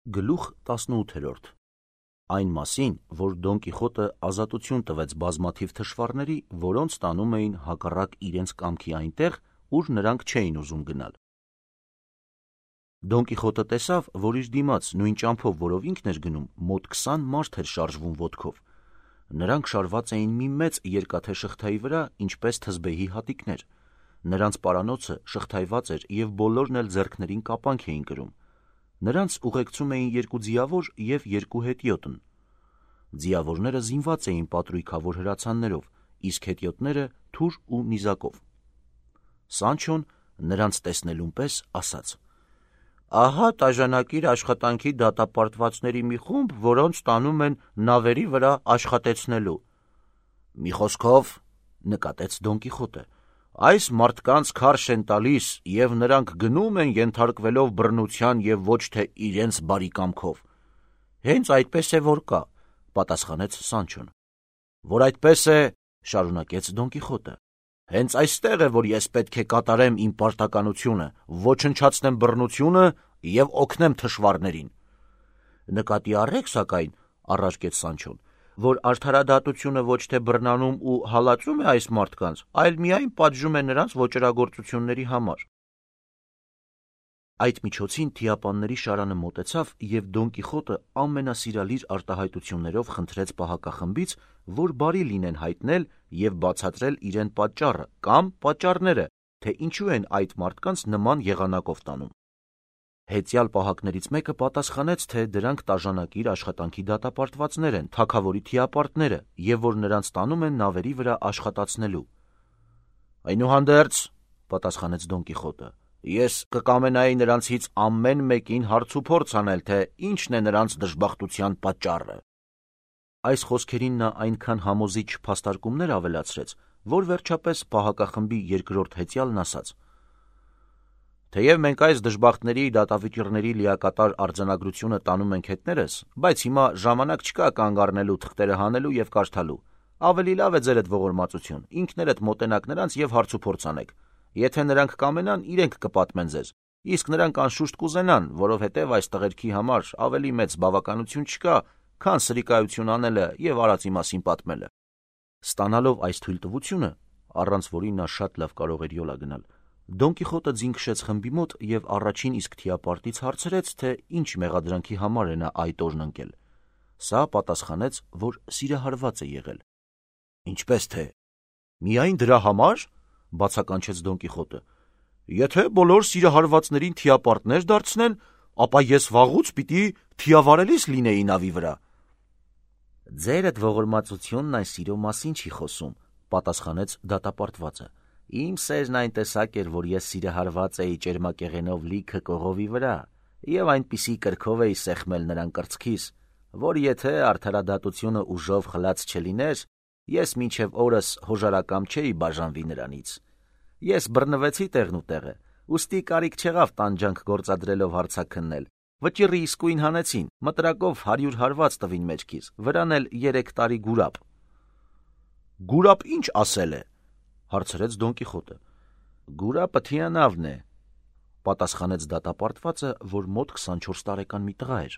Գլուխ 18 Այն մասին, որ Դոն Կիխոտը ազատություն տվեց բազմաթիվ թշվառների, որոնց տանում էին հակառակ իրենց կամքի այնտեղ, ուր նրանք չէին ուզում գնալ։ Դոն Կիխոտը տեսավ, որ իր դիմաց նույն ճամփով, որով ինքն էր գնում, մոտ 20 մարդ էր շարժվում ոտքով։ Նրանք շարված էին մի մեծ երկաթե շղթայի վրա, ինչպես թզբեհի հատիկներ։ Նրանց պարանոցը շղթայված էր և բոլորն էլ ձեռքներին կապանք էին կրում։ Նրանց ուղեկցում էին երկու ձիավոր և երկու հետիոտն։ Ձիավորները զինված էին պատրույքավոր հրացաններով, իսկ հետիոտները թուր ու նիզակով։ Սանչոն նրանց տեսնելուն պես ասաց. «Ահա տաժանակիր աշխատանքի դատապարտվածների մի խումբ, որոնց տանում են նավերի վրա աշխատեցնելու»։ «Մի խոսքով, — նկատեց Դոն Կիխոտը, — այս մարդկանց քարշ են տալիս, և նրանք գնում են ենթարկվելով բռնության և ոչ թե իրենց բարի կամքով»։ «Հենց այդպես է, որ կա, — պատասխանեց Սանչոն։ «Որ այդպես է, — շարունակեց Դոն Կիխոտը, — հենց այստեղ է, որ ես պետք է կատարեմ իմ պարտականությունը, ոչնչացնեմ բռնությունը և օգնեմ թշվառներին»։ «Նկատի առեք, սակայն, — առարկեց Սանչոն, — որ արդարադատությունը ոչ թե բռնանում ու հալածում է այս մարդկանց, այլ միայն պատժում է նրանց ոճրագործությունների համար»։ Այդ միջոցին թիապանների շարանը մոտեցավ, և Դոն Կիխոտը ամենասիրալիր արտահայտություններով խնդրեց պահակախմբից, որ բարի լինեն հայտնել և բացատրել իրեն պատճառը կամ պատճառները, թե ինչու են այդ մարդկանց նման եղանակով տանում։ Հետյալ պահակներից մեկը պատասխանեց, թե դրանք տաժանակիր աշխատանքի դատապարտվածներ են, թագավորի թիապարտները, և որ նրանց տանում են նավերի վրա աշխատացնելու։ «Այնուհանդերձ, — պատասխանեց Դոն Կիխոտը, — ես կկամենայի նրանցից ամեն մեկին հարցուփորձ անել, թե ինչն է նրանց դժբախտության պատճառը»։ Այս խոսքերին նա այնքան համոզիչ փաստարկումներ ավելացրեց, որ վերջապես պահակախմբի երկրորդ հետյալն ասաց. «Թեև մենք այս դժբախտների դատավճիռների լիակատար արձանագրությունը տանում ենք հետներս, բայց հիմա ժամանակ չկա կանգ առնելու, թղթերը հանելու և կարդալու։ Ավելի լավ է ձերդ ողորմածություն, ինքներդ մոտենաք նրանց և հարցուփորձ անեք։ Եթե նրանք կամենան, իրենք կպատմեն ձեզ, իսկ նրանք անշուշտ կուզենան, որովհետև այս տղերքի համար ավելի մեծ բավականություն չկա, քան սրիկայություն անելը և արածի մասին պատմելը»։ Ստանալով այս թույլտվությունը, առանց որի նա շատ լավ կարող էր յոլա գնալ, Դոն Կիխոտը ձին քշեց խմբի մոտ և առաջին իսկ թիապարտից հարցրեց, թե ինչ մեղադրանքի համար է նա այդ օրն ընկել։ Սա պատասխանեց, որ սիրահարված է եղել։ «Ինչպես թե, միայն դրա համար, — բացականչեց Դոն Կիխոտը, — եթե բոլոր սիրահարվածներին թիապարտներ դարձնեն, ապա ես վաղուց պիտի թիավարելիս լինեի նավի վրա»։ «Ձերդ ողորմածությունն այն սիրո մասին չի խոսում, — պատասխանեց դատապարտվածը։ Իմ սերն այն տեսակ էր, որ ես սիրահարված էի ճերմակեղենով լիքը կողովի վրա և այնպիսի կրքով էի սեղմել նրան կրծքիս, որ եթե արդարադատությունը ուժով խլած չլիներ, ես մինչև օրս հոժարակամ չէի բաժանվի նրանից։ Ես բռնվեցի տեղնուտեղը, ուստի կարիք չեղավ տանջանք գործադրելով հարցաքննել, վճիռի իսկույն հանեցին, մտրակով 100 հարված տվին մեջքիս, վրան էլ 3 տարի գուրապ»։ «Գուրապ ինչ ասել է, — հարցրեց Դոն Կիխոտը։ «Գուրապը թիանավն է, — պատասխանեց դատապարտվածը, որ մոտ 24 տարեկան մի տղա էր»։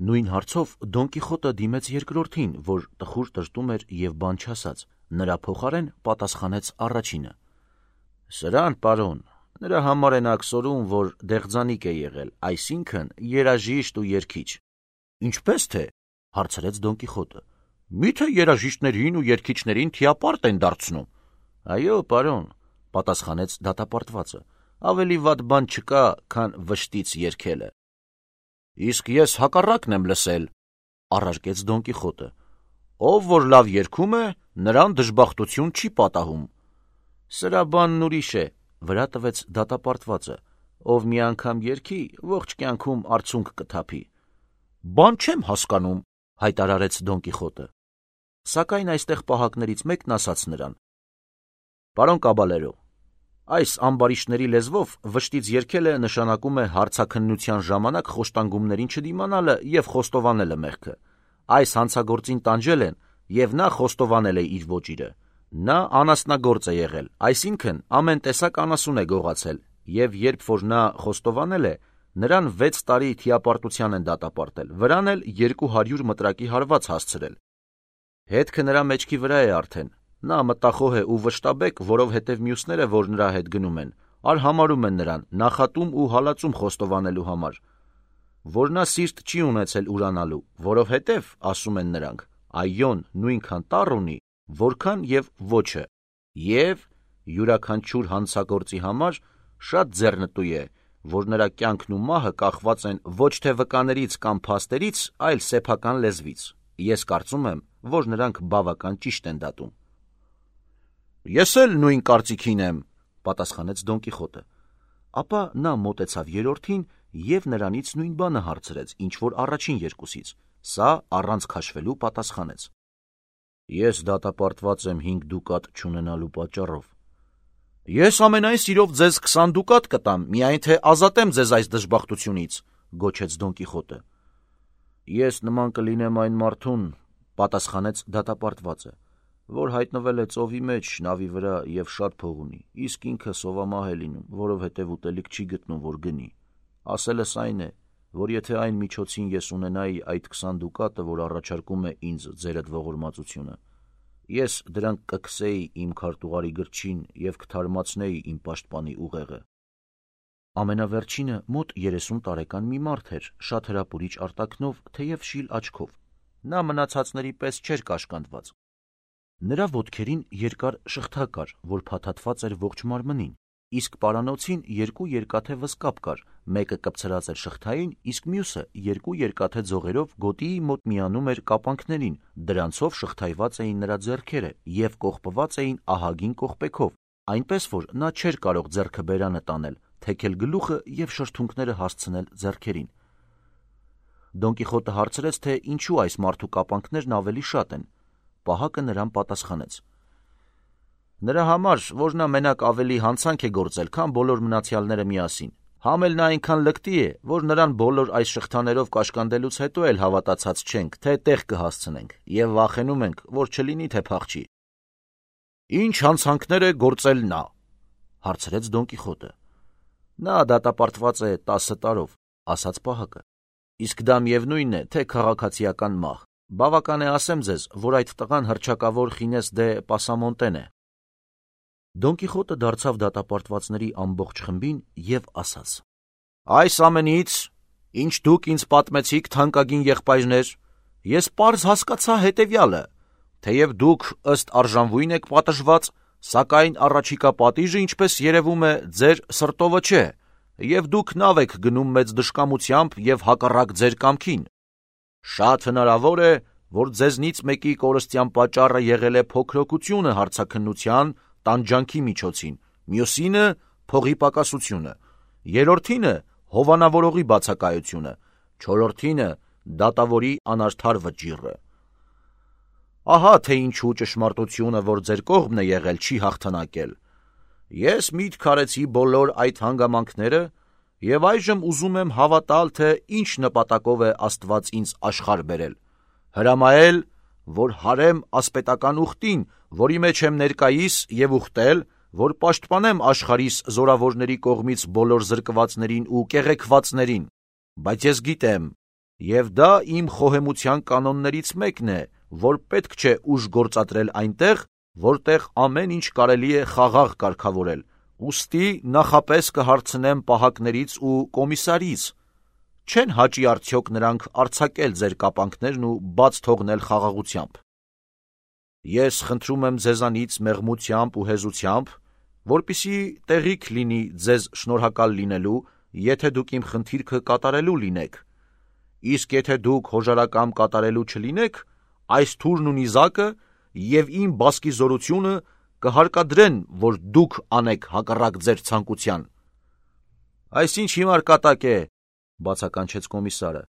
Նույն հարցով Դոն Կիխոտը դիմեց երկրորդին, որ տխուր տրտում էր և բան չասաց, նրա փոխարեն պատասխանեց առաջինը. «Սրան, պարոն, նրա համար են աքսորում, որ դեղձանիկ է եղել, այսինքն երաժիշտ ու երգիչ»։ «Ինչպես թե, — հարցրեց Դոն Կիխոտը, — միթե երաժիշտներին ու երգիչներին թիապարտ են դարձնում»։ «Այո, պարոն, — պատասխանեց դատապարտվածը, — ավելի վատ բան չկա, քան վշտից երգելը»։ «Իսկ ես հակառակն եմ լսել, — առարկեց Դոն Կիխոտը, — ով որ լավ երգում է, նրան դժբախտություն չի պատահում»։ «Սրա բանն ուրիշ է, — վրա տվեց դատապարտվածը, — ով մի անգամ երգի, ողջ կյանքում արցունք կթափի»։ «Բան չեմ հասկանում, — հայտարարեց Դոն Կիխոտը։ Սակայն այստեղ պահակներից մեկն ասաց նրան. «Պարոն Կաբալերո, այս ամբարիշտների լեզվով վշտից երգելը նշանակում է հարցաքննության ժամանակ խոշտանգումներին չդիմանալը և խոստովանելը մեղքը։ Այս հանցագործին տանջել են, և նա խոստովանել է իր ոճիրը։ Նա անասնագործ է եղել, այսինքն ամեն տեսակ անասուն է գողացել, և երբ որ նա խոստովանել է, Նրան 6 տարի թիապարտության են դատապարտել, վրան էլ 200 մտրակի հարված հասցրել։ Հետքը նրա մեջքի վրա է արդեն, նա մտախոհ է ու վշտաբեկ, որովհետև մյուսները, որ նրա հետ գնում են, արհամարում են նրան նախատում ու հալածում խոստովանելու համար, որ նա սիրտ չի ունեցել ուրանալու, որովհետև, ասում են նրանք, այոն նույնքան տառ ունի, որքան և ոչը, և յուրաքանչյուր հանցագործի համար շատ ձեռնտու է, որ նրա կյանքն ու մահը կախված են ոչ թե վկաներից կամ փաստերից, այլ սեփական լեզվից։ Ես կարծում եմ, որ նրանք բավական ճիշտ են դատում։ Ես էլ նույն կարծիքին եմ, պատասխանեց Դոն Կիխոտը։ Ապա նա մոտեցավ երրորդին և նրանից նույն բանը հարցրեց, ինչ որ առաջին երկուսից։ Սա առանց քաշվելու պատասխանեց. Ես դատապարտված եմ 5 դուկատ չունենալու պատճառով։ Ես ամենայն սիրով ձեզ 20 դուկատ կտամ, միայն թե ազատեմ ձեզ այս դժբախտությունից, գոչեց Դոն Կիխոտը։ Ես նման կլինեմ այն մարդուն, պատասխանեց դատապարտվածը, որ հայտնվել է ծովի մեջ նավի վրա և շատ փող ունի, իսկ ինքը սովամահ է լինում, որովհետև ուտելիք չի գտնում, որ գնի։ Ասելս այն է, որ եթե այն միջոցին ես ունենայի այդ 20 դուկատը, որ առաջարկում է ինձ ձերդ ողորմածությունը, ես դրանք կքսեի իմ քարտուղարի գրչին և կթարմացնեի իմ պաշտպանի ուղեղը։ Ամենավերջինը մոտ 30 տարեկան մի մարդ էր, շատ հրապուրիչ արտաքնով, թեև շիլ աչքով։ Նա մնացածների պես չէր կաշկանդված։ Նրա ոտքերին երկար շղթա կար, որ փաթաթված էր ողջ մարմնին, իսկ պարանոցին 2 երկաթե վզկապ կար, մեկը կպցրած էր շղթային, իսկ մյուսը 2 երկաթե ձողերով գոտիի մոտ միանում էր կապանքներին, դրանցով շղթայված էին նրա ձեռքերը և կողպված էին ահագին կողպեքով, այնպես որ նա չէր կարող ձեռքը բերանը տանել, թեքել գլուխը և շրթունքները հասցնել ձեռքերին։ Դոն Կիխոտը հարցրեց, թե ինչու այս մարդու կապանքներն ավելի շատ են։ Պահակը նրան պատասխանեց. Նրա համար, որ նա մենակ ավելի հանցանք է գործել, քան բոլոր մնացյալները միասին։ Համ էլ նա այնքան լկտի է, որ նրան բոլոր այս շղթաներով կաշկանդելուց հետո էլ հավատացած չենք, թե տեղ կհասցնենք, և վախենում ենք, որ չլինի, թե փախչի։ Ինչ հանցանքներ է գործել նա, հարցրեց Դոն Կիխոտը։ Նա դատապարտված է 10 տարով, ասաց պահակը։ Իսկ դա միևնույն է, թե քաղաքացիական մահ։ Բավական է ասեմ ձեզ, որ այդ տղան հռչակավոր Խինես դե Պասամոնտեն է։ Դոն Կիխոտը դարձավ դատապարտվածների ամբողջ խմբին և ասաց. Այս ամենից, ինչ դուք ինձ պատմեցիք, թանկագին եղբայրներ, ես պարզ հասկացա հետևյալը, թեև դուք ըստ արժանվույն եք պատժված, սակայն առաջիկա պատիժը, ինչպես երևում է, ձեր սրտովը չէ, և դուք նավ եք գնում մեծ դժկամությամբ և հակառակ ձեր կամքին։ Շատ հնարավոր է, որ ձեզնից մեկի կորստյան պատճառը եղել է փոքրοκությունը հարցաքննության, տանջանքի միջոցին, մյուսինը փողի պակասությունը, երրորդինը հովանավորողի բացակայությունը, չորրորդինը դատավորի անարդար վճիռը։ Ահա թե ինչու ճշմարտությունը, որ ձեր կողմն է եղել, չի հաղթանակել։ Ես միտք արեցի բոլոր այդ հանգամանքները և այժմ ուզում եմ հավատալ, թե ինչ նպատակով է Աստված ինձ աշխարհ բերել, հրամայել, որ հարեմ ասպետական ուխտին, որի մեջ եմ ներկայիս, և ուխտել, որ պաշտպանեմ աշխարհիս զորավորների կողմից բոլոր զրկվածներին ու կեղեքվածներին, բայց ես գիտեմ, և դա իմ խոհեմության կանոններից մեկն է, որ պետք չէ ուժ գործադրել այնտեղ, որտեղ ամեն ինչ կարելի է խաղաղ կարգավորել, ուստի նախապես կհարցնեմ պահակներից ու կոմիսարից, չեն հաճի արդյոք նրանք արձակել ձեր կապանքներն ու բաց թողնել խաղաղությամբ։ Ես խնդրում եմ ձեզանից մեղմությամբ ու հեզությամբ, որպեսզի տեղիք լինի ձեզ շնորհակալ լինելու, եթե դուք իմ խնդիրքը կատարելու լինեք, իսկ եթե դուք հոժարակամ կատարելու չլինեք, այս թուրն ու նիզակը և իմ բասկի զորությունը կհարկադրեն, որ դուք անեք հակառակ ձեր ցանկության։ Այսինչ հիմար կատակ է, բացականչեց կոմիսարը։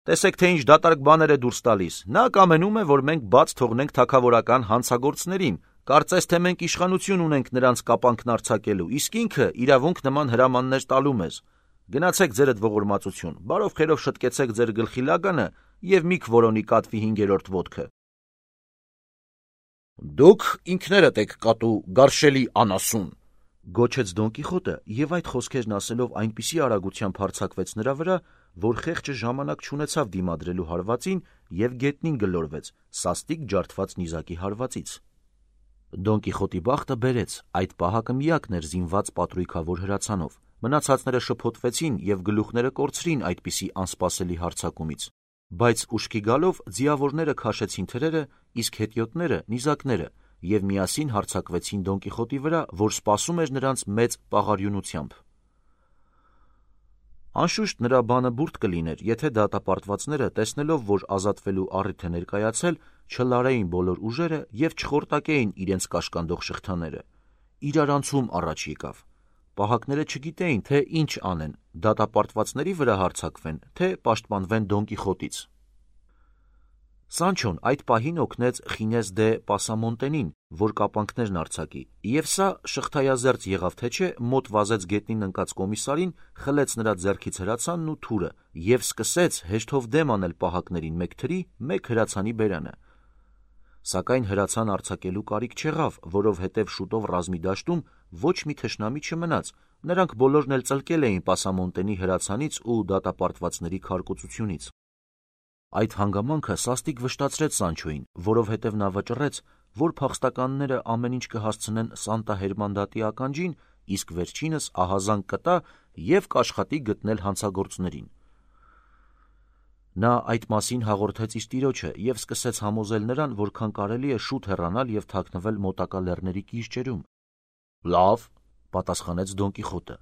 Տեսեք, թե ինչ դատարկ բաներ է դուրս տալիս։ Նա կամենում է, որ մենք բաց թողնենք թագավորական հանցագործներին, կարծես թե մենք իշխանություն ունենք նրանց կապանքն արձակելու, իսկ ինքը իրավունք նման հրամաններ տալու մեզ։ Գնացեք ձերդ ողորմածություն, բարով խերով շտկեցեք ձեր գլխի լագանը և մի քվորոնի կատվի 5-րդ ոտքը։ Դուք ինքներդ եք կատու գարշելի անասուն, Գոչեց Դոն Կիխոտը եւ այդ խոսքերն ասելով այնպիսի արագությամբ հարձակվեց նրա վրա, որ խեղճը ժամանակ չունեցավ դիմադրելու հարվածին եւ գետնին գլորվեց սաստիկ ջարդված նիզակի հարվածից։ Դոն Կիխոտի բախտը բերեց, այդ պահակը միակն էր զինված պատրույքավոր հրացանով։ Մնացածները շփոթվեցին եւ գլուխները կորցրին այդպիսի անսպասելի հարձակումից, բայց ուշքի գալով ձիավորները քաշեցին թրերը, իսկ հետիոտները նիզակները եւ միասին հարձակվեցին Դոն Կիխոտի վրա, որ սպասում էր նրանց մեծ պաղարյունությամբ։ Անշուշտ նրա բանը բուրդ կլիներ, եթե դատապարտվածները, տեսնելով, որ ազատվելու առիթ է ներկայացել, չլարեին բոլոր ուժերը եւ չխորտակեին իրենց կաշկանդող շղթաները։ Իրարանցում առաջ եկավ։ Պահակները չգիտեին, թե ինչ անեն, դատապարտվածների վրա հարձակվեն, թե պաշտպանվեն Դոն Կիխոտից։ Սանչոն այդ պահին օգնեց Խինես դե Պասամոնտենին, որ կապանքներն արձակի, եւ սա շղթայազերծ եղավ թե չէ, մոտ վազեց գետնին ընկած կոմիսարին, խլեց նրա ձեռքից հրացանն ու թուրը եւ սկսեց հեշտով դեմ անել պահակներին մեկ թրի, մեկ հրացանի բերանը։ Սակայն հրացան արձակելու կարիք չեղավ, որովհետև շուտով ռազմի դաշտում ոչ մի թշնամի չմնաց, նրանք բոլորն էլ ծլկել էին Պասամոնտենի հրացանից ու դատապարտվածների քարկոծությունից։ Այդ հանգամանքը սաստիկ վշտացրեց Սանչոին, որովհետև նա վճռեց, որ փախստականները ամեն ինչ կհասցնեն Սանտա Հերմանդատի ականջին, իսկ վերջինս ահազանգ կտա եւ կաշխատի գտնել հանցագործներին։ Նա այդ մասին հաղորդեց իր տիրոջը եւ սկսեց համոզել նրան, որքան կարելի է շուտ հեռանալ եւ թաքնվել մոտակա լեռների կիրճերում։ «Լավ», պատասխանեց Դոն Կիխոտը,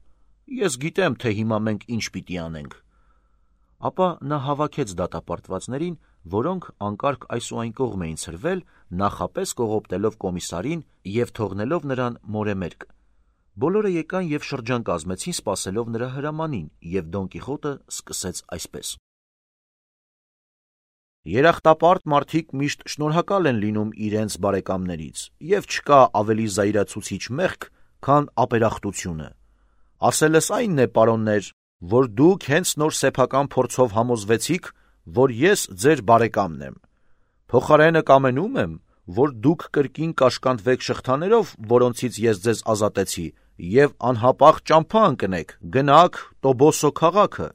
«ես գիտեմ, թե հիմա մենք ինչ պիտի անենք»։ Ապա նա հավաքեց դատապարտվածներին, որոնք անկարգ այս ու այն կողմ էին ցրվել, նախապես կողոպտելով կոմիսարին եւ թողնելով նրան մորեմերկ։ Բոլորը եկան եւ շրջան կազմեցին, սպասելով նրա հրամանին, եւ Դոն Կիխոտը սկսեց այսպես. Երախտապարտ մարդիկ միշտ շնորհակալ են լինում իրենց բարեկամներից, եւ չկա ավելի զայրացուցիչ մեղք, քան ապերախտությունը։ Ասելս այնն է, պարոններ, որ դուք հենց նոր սեփական փորձով համոզվեցիք, որ ես ձեր բարեկամն եմ։ Փոխարենը կամենում եմ, որ դուք կրկին կաշկանդվեք շղթաներով, որոնցից ես ձեզ ազատեցի, եւ անհապաղ ճամփա ընկնեք, գնաք Տոբոսո քաղաքը։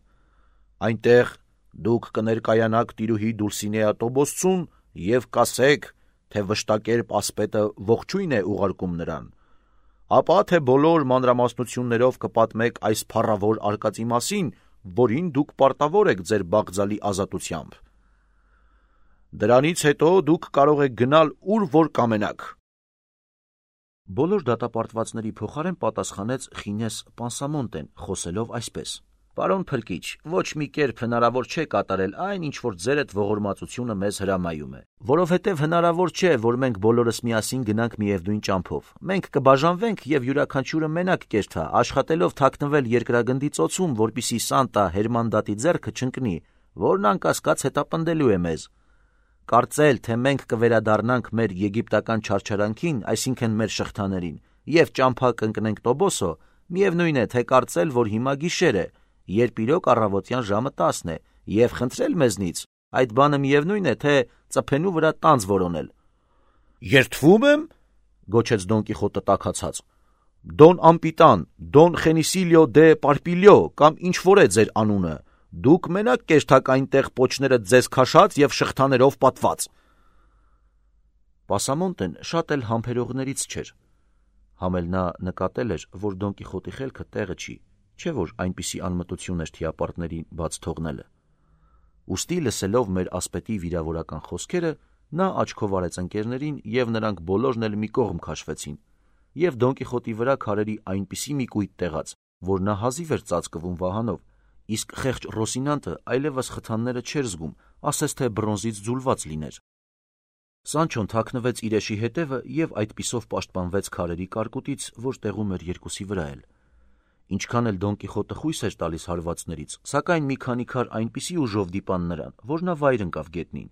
Այնտեղ դուք կներկայանաք տիրուհի Դուլսինեա Տոբոսցուն եւ կասեք, թե վշտակերպ ասպետը ողջույն է ուղարկում նրան, ապա թե բոլոր մանրամասնություններով կպատմեք այս փառավոր արկածի մասին, որին դուք պարտավոր եք ձեր բաղձալի ազատությամբ։ Դրանից հետո դուք կարող եք գնալ ուր որ կամենաք։ Բոլոր դատապարտվածների փոխարեն պատասխանեց Խինես Պասամոնտեն, խոսելով այսպես. Պարոն Փրկիչ, ոչ մի կերպ հնարավոր չէ կատարել այն, ինչ որ ձերդ ողորմածությունը մեզ հրամայում է, որովհետև հնարավոր չէ, որ մենք բոլորս միասին գնանք միևնույն ճամփով։ Մենք կբաժանվենք եւ յուրաքանչյուրը մենակ կերթա, աշխատելով թաքնվել երկրագնդի ծոցում, որպիսի Սանտա Հերմանդատի ձեռքը չընկնի, որն անկասկած հետապնդելու է մեզ։ Կարծել, թե մենք կվերադառնանք մեր եգիպտական չարչարանքին, այսինքն մեր շղթաներին, եւ ճամփա կընկնենք Տոբոսո, միևնույն է, թե կարծել, որ հիմա գիշեր է, երբ իրոք առավոտյան ժամը 10 է, եւ խնդրել մեզնից, այդ բանը միևնույն է, թե ծփենու վրա տանձ որոնել։ Երդվում եմ, գոչեց Դոն Կիխոտը տաքացած։ Դոն Ամպիտան, Դոն Խենիսիլիո դե Պարպիլիո կամ ինչ որ է ձեր անունը, դուք մենակ կերթակ այնտեղ պոչները ձեզ քաշած եւ շղթաներով պատված։ Պասամոնտեն շատ էլ համբերողներից չէր։ Համել նա նկատել էր, որ Դոն Կիխոտի խելքը տեղը չի, չէ որ այնպիսի անմտություն էր թիապարտներին բաց թողնելը։ Ուստի լսելով մեր ասպետի վիրավորական խոսքերը, նա աչքով արեց ընկերներին եւ նրանք բոլորն էլ մի կողմ քաշվեցին, եւ Դոն Կիխոտի վրա քարերի այնպիսի մի կույտ տեղաց, որ նա հազիվ էր ծածկվում վահանով, իսկ խեղճ Ռոսինանտը այլևս խթանները չէր զգում, ասես թե բրոնզից ձուլված լիներ։ Սանչոն թաքնվեց իրեշի հետևը եւ այդպիսով պաշտպանվեց քարերի կարկուտից, որ տեղում էր երկուսի վրա էլ։ Ինչքան էլ Դոն Կիխոտը խույս էր տալիս հարվածներից, սակայն մի քանի քար այնպիսի ուժով դիպան նրան, որ նա վայր ընկավ գետնին։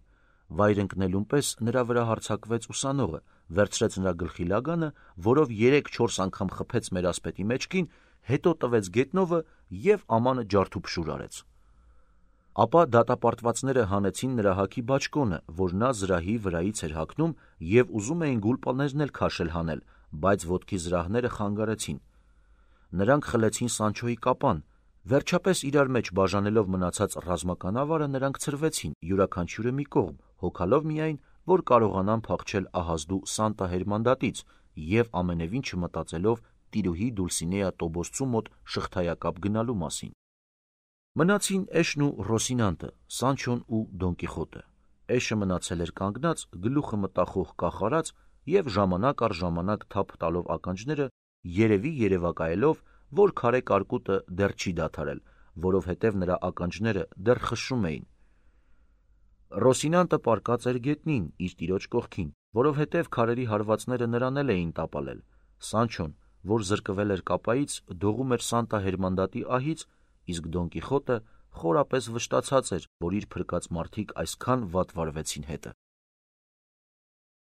Վայր ընկնելուն պես նրա վրա հարձակվեց ուսանողը, վերցրեց նրա գլխի լագանը, որով 3-4 անգամ խփեց մեր ասպետի մեջքին, հետո տվեց գետնովը եւ ամանը ջարդուփշուր արեց։ Ապա դատապարտվածները հանեցին նրա հագի բաճկոնը, որ նա զրահի վրայից էր հագնում, եւ ուզում էին գուլպաներն էլ քաշել հանել, բայց ոտքի զրահները խանգարեցին։ Նրանք խլեցին Սանչոյի կապան։ Վերջապես իրար մեջ բաժանելով մնացած ռազմական ավարը նրանք ցրվեցին յուրաքանչյուրը մի կողմ, հոգալով միայն, որ կարողանան փախչել ահազդու Սանտա Հերմանդատից և ամենևին չմտածելով տիրուհի Դուլսինեա Տոբոսցու մոտ շղթայակապ գնալու մասին։ Մնացին Էշն ու Ռոսինանտը, Սանչոն ու Դոն Կիխոտը։ Էշը մնացել էր կանգնած, գլուխը մտախոհ կախարած և ժամանակ առ ժամանակ թափ տալով ականջները, երևի երևակայելով, որ քարե կարկուտը դեռ չի դադարել, որովհետև նրա ականջները դեռ խշշում էին։ Ռոսինանտը պառկած էր գետնին իր տիրոջ կողքին, որովհետև քարերի հարվածները նրան էլ էին տապալել։ Սանչոն, որ զրկվել էր կապայից, դողում էր Սանտա Հերմանդատի ահից, իսկ Դոն Կիխոտը խորապես վշտացած էր, որ իր փրկած մարդիկ այսքան վատ վարվեցին հետը։